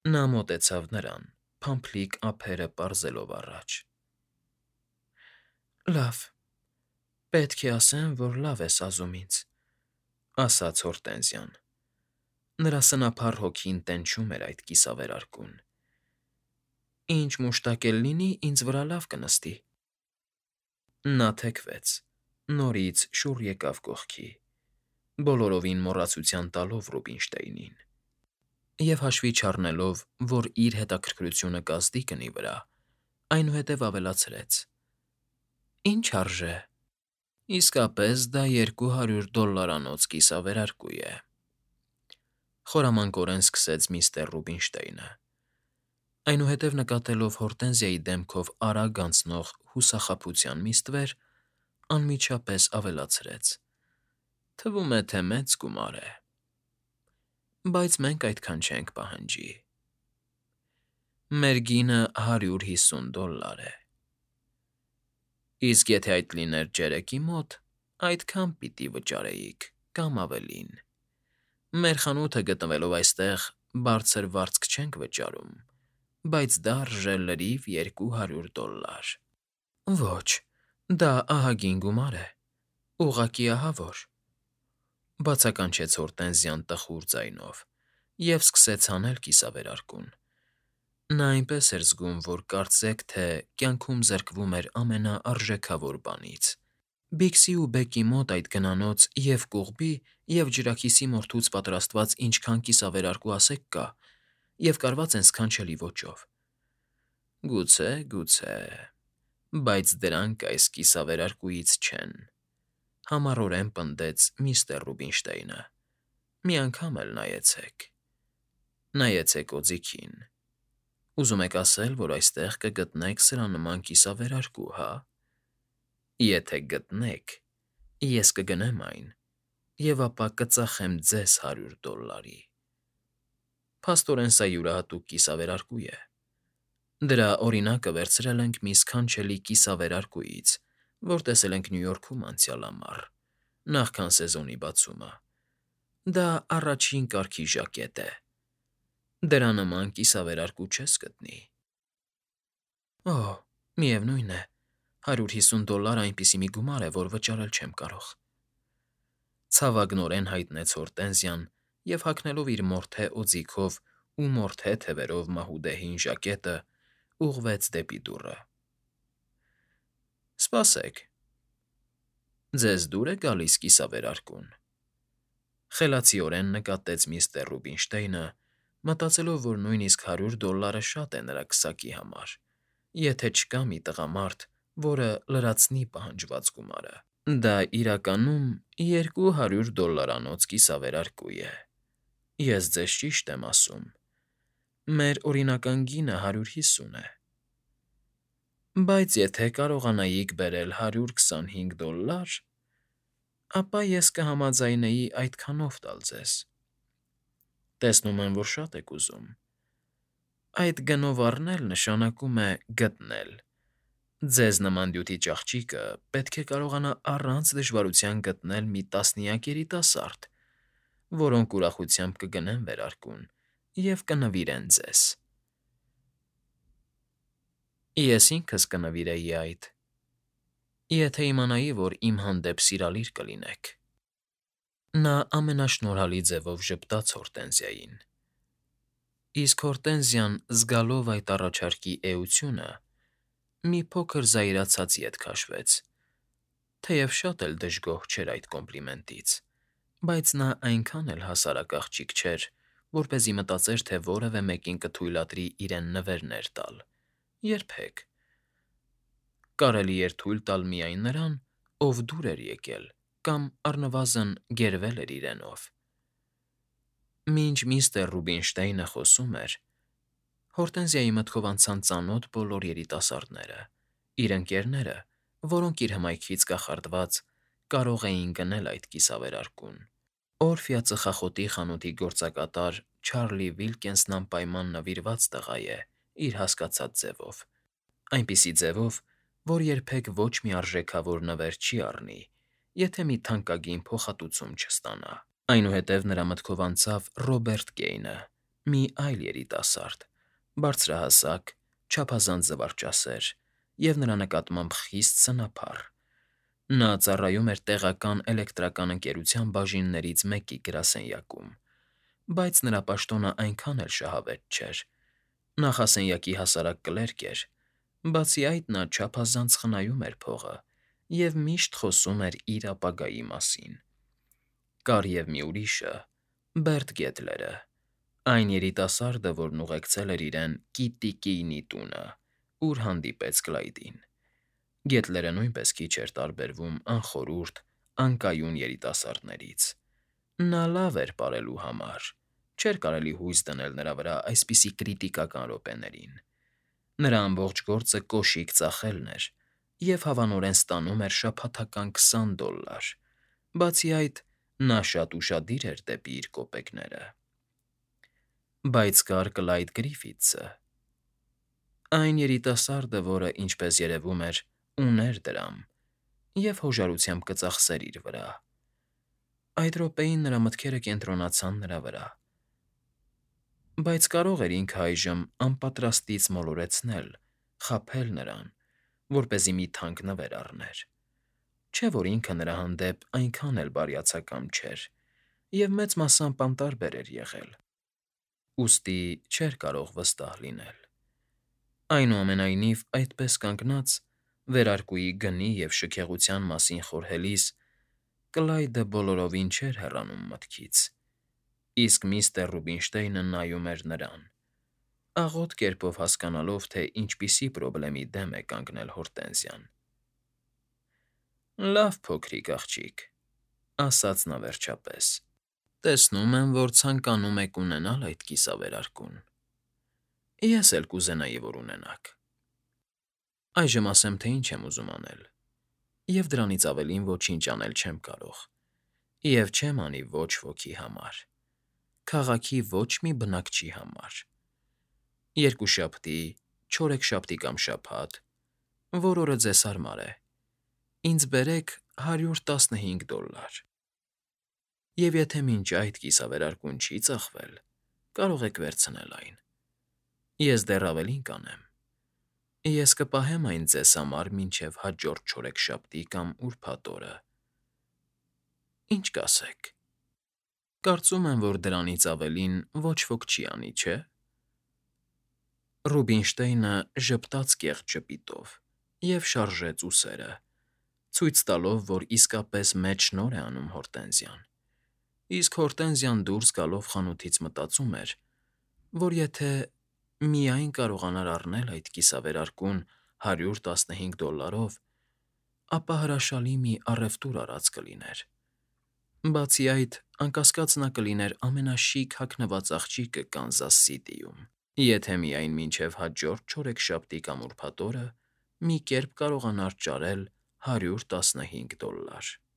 Նա մոտեցավ նրան, փամփլիկ ափերը պարզելով առաջ։ Լավ, պետք է ասեմ, որ լավ ես ազում ինձ, ասաց Հորտենզիան։ Նրա սնափառ հոգին տենչում էր այդ կիսավերարկուն։ Ինչ մուշտակ էլ լինի, ինձ վրա լավ կնստի։ Նա թեքվեց, նորից շուռ եկավ կողքի, բոլորովին մոռացության տալով Ռուբինշտեյնին, և հաշվի չառնելով, որ իր հետաքրքրությունը կազդի կնի վրա, այնուհետև ավելացրեց. Ինչ արժե։ Իսկապես դա $200 կիսավերարկու է։ Խորամանկորեն սկսեց միստր Ռուբինշտեյնը, այնուհետև նկատելով Հորտենզիայի դեմքով արագ անցնող հուսախաբության մի ստվեր, անմիջապես ավելացրեց. Թվում է, թե մեծ գումար է։ Բայց մենք այդքան չենք պահանջի։ Մեր գինը $150 է։ Իսկ եթե այդ լիներ Ջերեկի մոտ, այդքան պիտի վճարեիք, կամ ավելին։ Մեր խանութը գտնվելով այստեղ, բարձր վարձք չենք վճարում, բայց դա արժե լրիվ $200։ Ոչ, դա ահագին գումար է, ուղղակի ահավոր, բացականչեց Հորտենզիան տխուր ձայնով և սկսեց հանել կիսավերարկուն։ Նա այնպես էր զգում, որ կարծեք թե կյանքում զրկվում էր ամենաարժեքավոր բանից։ Բիքսի ու Բեկի մոտ այդ գնանոց և կուղբի, և ջրաքիսի մորթուց պատրաստված ինչքան կիսավերարկու ասեք կա, և կարված են սքանչելի ոճով։ Գուցե, բայց դրանք այս կիսավերարկուից չեն, համառորեն պնդեց միստր Ռուբինշտեյնը։ Մի անգամ էլ նայեցեք։ Նայեցեք օձիքին։ Ուզում եք ասել, որ այստեղ կգտնեք սրանման կիսավերարկու, հա։ Եթե գտնեք, ես կգնեմ այն, և ապա կծախեմ ձեզ $100։ Փաստորեն սա յուրահատուկ կիսավերարկու է։ Դրա օրինակը վերցրել ենք մի սքանչելի կիսավերարկուից, որ տեսել ենք Նյու Յորքում անցյալ ամառ, նախքան սեզոնի բացումը։ Դա առաջին կարգի ժակետ է։ Դրա նման կիսավերարկու չես գտնի։ Օհ, միևնույն է, $150 այնպիսի մի գումար է, որ վճարել չեմ կարող։ Ցավագնորեն հայտնեց Հորտենզիան և հագնելով իր մորթե օձիքով ու մորթե թևերով մահուդե հին ժակետը, ուղղվեց դեպի դուռը։ Սպասեք, ձեզ դուր է գալիս կիսավերարկուն։ Խելացիորեն նկատեց միստր Ռուբինշտեյնը, մտածելով, որ նույնիսկ $100 շատ է նրա քսակի համար, եթե չկա մի տղամարդ, որը լրացնի պահանջված գումարը։ Դա իրականում $200 կիսավերարկու է։ Ես ձեզ ճիշտ եմ ասում։ Մեր օրինական գինը 150 է։ Բայց եթե կարողանայիք բերել $125, ապա ես կհամաձայնեի այդքանով տալ ձեզ։ Տեսնում եմ, որ շատ եք ուզում։ Այդ գնով առնել նշանակում է գտնել։ Ձեզ նման դյութիչ աղջիկը պետք է կարողանա առանց դժվարության գտնել մի տասնյակ երիտասարդ, որոնք ուրախությամբ կգնեն վերարկուն և կնվիրեն ձեզ։ Ես ինքս կնվիրեի այդ, եթե իմանայի, որ իմ հանդեպ սիրալիր կլինեք։ Նա ամենաշնորհալի ձևով ժպտաց Հորտենզիային, իսկ Հորտենզիան, զգալով այդ առաջարկի էությունը, մի փոքր զայրացած ետ քաշվեց, թեև շատ էլ դժգոհ չէր այդ կոմպլիմենտից, բայց նա այնքան էլ հասարակ աղջիկ չէր, որպեսզի մտածեր, թե որևէ մեկին կթույլատրի իրեն նվերներ տալ, երբեք։ Կարելի էր թույլ տալ միայն նրան, ով դուր էր եկել կամ առնվազն գերվել էր իրենով։ Մինչ միստր Ռուբինշտեյնը խոսում էր, Հորտենզիայի մտքով անցան ծանոթ բոլոր երիտասարդները, իր ընկերները, որոնք իր հմայքից կախարդված կարող էին գնել այդ կիսավերարկուն։ Օրֆյա ծխախոտի խանութի գործակատար Չարլի Վիլքենսն անպայման նվիրված տղա է իր հասկացած ձևով, այնպիսի ձևով, որ երբեք ոչ մի արժեքավոր նվեր չի առնի, եթե մի թանկագին փոխհատուցում չստանա։ Այնուհետև նրա մտքով անցավ Ռոբերտ Գեյնը, մի այլ երիտասարդ, բարձրահասակ, չափազանց զվարճասեր և նրա նկատմամբ խիստ սնափառ. նա ծառայում էր տեղական էլեկտրական ընկերության բաժիններից մեկի գրասենյակում, բայց նրա պաշտոնը այնքան էլ շահավետ չէր. նախասենյակի հասարակ կլերկ էր, բացի այդ նա չափազանց խնայում էր փողը և միշտ խոսում էր իր ապագայի մասին։ Կար և մի ուրիշը՝ Բերտ Գեթլերը, այն երիտասարդը, որն ուղեկցել էր իրեն Կիտի տունը, ուր հանդիպեց Կլայդին։ Գեթլերը նույնպես քիչ էր տարբերվում անխորհուրդ, անկայուն երիտասարդներից։ Նա լավ էր պարելու համար, չէր կարելի հույս դնել նրա վրա այսպիսի կրիտիկական րոպեներին։ Նրա ամբողջ գործը կոշիկ ծախելն էր և հավանորեն ստանում էր շաբաթական $20, բացի այդ, նա շատ ուշադիր էր դեպի իր կոպեկները։ Բայց կար Կլայդ Գրիֆիթսը, այն երիտասարդը, որը, ինչպես երևում էր, ուներ դրամ և հոժարությամբ կծախսեր իր վրա։ Այդ րոպեին նրա մտքերը կենտրոնացան նրա վրա, բայց կարող էր ինքը այժմ անպատրաստից մոլորեցնել, խաբել նրան, որպեսզի մի թանկ նվեր առներ։ Չէ՞ որ ինքը նրա հանդեպ այնքան էլ բարյացակամ չէր և մեծ մասամբ անտարբեր էր եղել, ուստի չէր կարող վստահ լինել։ Այնուամենայնիվ, այդպես կանգնած, վերարկուի գնի և շքեղության մասին խորհելիս, Կլայդը բոլորովին չէր հեռանում մտքից, իսկ միստր Ռուբինշտեյնը նայում էր նրան, աղոտ կերպով հասկանալով, թե ինչպիսի պրոբլեմի դեմ է կանգնել Հորտենզիան։ «Լավ, փոքրիկ աղջիկ,֊ ասաց նա վերջապես,֊ տեսնում եմ, որ ցանկանում եք ունենալ այդ կիսավերարկուն։ Ես էլ կուզենայի, որ ունենաք։ Այժմ ասեմ, թե ինչ եմ ուզում անել, և դրանից ավելին ոչինչ անել չեմ կարող, և չեմ անի ոչ ոքի համար, քաղաքի ոչ մի բնակչի համար։ Երկուշաբթի, չորեքշաբթի կամ շաբաթ, որ օրը ձեզ հարմար է, ինձ բերեք $115, և եթե մինչ այդ կիսավերարկուն չի ծախվել, կարող եք վերցնել այն։ Ես դեռ ավելին կանեմ. ես կպահեմ այն ձեզ համար մինչև հաջորդ չորեքշաբթի կամ ուրբաթ օրը։ Ինչ կասեք։ Կարծում եմ, որ դրանից ավելին ոչ ոք չի անի, չէ՞»։ Ռուբինշտեյնը ժպտաց կեղտ ժպիտով և շարժեց ուսերը, ցույց տալով, որ իսկապես մեծ շնորհ է անում Հորտենզիան, իսկ Հորտենզիան դուրս գալով խանութից մտածում էր, որ եթե միայն կարողանար առնել այդ կիսավերարկուն $115, ապա հրաշալի մի առևտուր արած կլիներ։ Բացի այդ, անկասկած նա կլիներ ամենաշիկ հագնված աղջիկը Կանզաս Սիթիում, եթե միայն մինչև հաջորդ չորեքշաբթի կամ ուրբաթ օրը մի կերպ կարողանար ճարել $115։